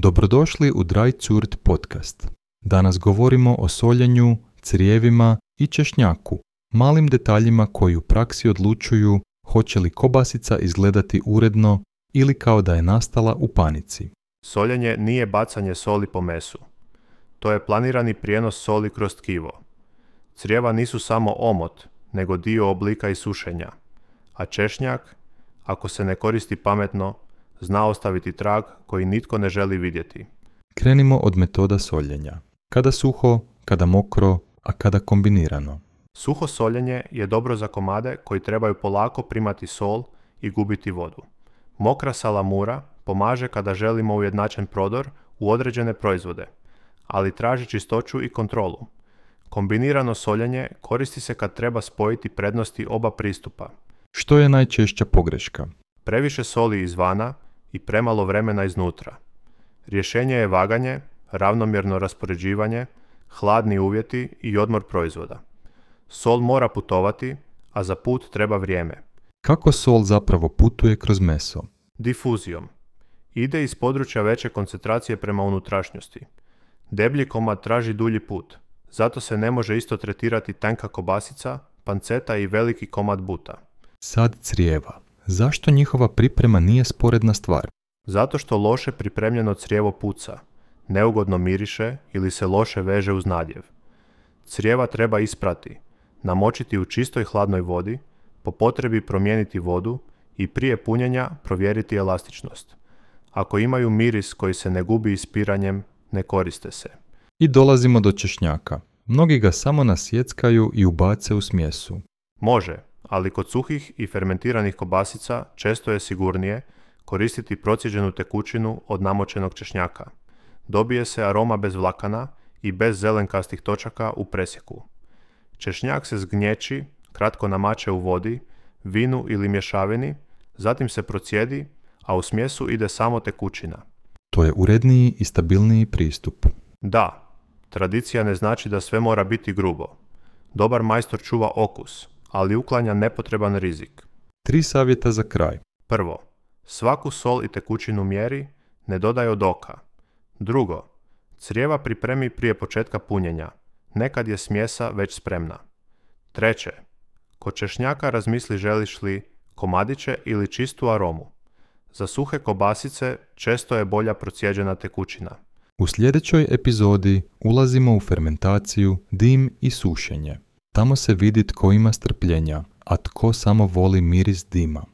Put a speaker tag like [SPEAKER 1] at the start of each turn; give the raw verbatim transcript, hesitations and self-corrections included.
[SPEAKER 1] Dobrodošli u Dry Zurt podcast. Danas govorimo o soljenju, crijevima i češnjaku, malim detaljima koji u praksi odlučuju hoće li kobasica izgledati uredno ili kao da je nastala u panici.
[SPEAKER 2] Soljenje nije bacanje soli po mesu. To je planirani prijenos soli kroz tkivo. Crijeva nisu samo omot, nego dio oblika i sušenja. A češnjak, ako se ne koristi pametno, zna ostaviti trag koji nitko ne želi vidjeti.
[SPEAKER 1] Krenimo od metoda soljenja. Kada suho, kada mokro, a kada kombinirano.
[SPEAKER 2] Suho soljenje je dobro za komade koji trebaju polako primati sol i gubiti vodu. Mokra salamura pomaže kada želimo ujednačen prodor u određene proizvode, ali traži čistoću i kontrolu. Kombinirano soljenje koristi se kad treba spojiti prednosti oba pristupa.
[SPEAKER 1] Što je najčešća pogreška?
[SPEAKER 2] Previše soli izvana i premalo vremena iznutra. Rješenje je vaganje, ravnomjerno raspoređivanje, hladni uvjeti i odmor proizvoda. Sol mora putovati, a za put treba vrijeme.
[SPEAKER 1] Kako sol zapravo putuje kroz meso?
[SPEAKER 2] Difuzijom. Ide iz područja veće koncentracije prema unutrašnjosti. Deblji komad traži dulji put, zato se ne može isto tretirati tanka kobasica, panceta i veliki komad buta.
[SPEAKER 1] Sad crijeva. Zašto njihova priprema nije sporedna stvar?
[SPEAKER 2] Zato što loše pripremljeno crijevo puca, neugodno miriše ili se loše veže uz nadjev. Crijeva treba isprati, namočiti u čistoj hladnoj vodi, po potrebi promijeniti vodu i prije punjenja provjeriti elastičnost. Ako imaju miris koji se ne gubi ispiranjem, ne koriste se.
[SPEAKER 1] I dolazimo do češnjaka. Mnogi ga samo nasjeckaju i ubace u smjesu.
[SPEAKER 2] Može, ali kod suhih i fermentiranih kobasica često je sigurnije koristiti procijeđenu tekućinu od namočenog češnjaka. Dobije se aroma bez vlakana i bez zelenkastih točaka u presjeku. Češnjak se zgnječi, kratko namače u vodi, vinu ili mješavini, zatim se procijedi, a u smjesu ide samo tekućina.
[SPEAKER 1] To je uredniji i stabilniji pristup.
[SPEAKER 2] Da, tradicija ne znači da sve mora biti grubo. Dobar majstor čuva okus, ali uklanja nepotreban rizik.
[SPEAKER 1] Tri savjeta za kraj.
[SPEAKER 2] Prvo, svaku sol i tekućinu mjeri, ne dodaj od oka. Drugo, crijeva pripremi prije početka punjenja, nekad je smjesa već spremna. Treće, kod češnjaka razmisli želiš li komadiće ili čistu aromu. Za suhe kobasice često je bolja procijeđena tekućina.
[SPEAKER 1] U sljedećoj epizodi ulazimo u fermentaciju, dim i sušenje. Tamo se vidi tko ima strpljenja, a tko samo voli miris dima.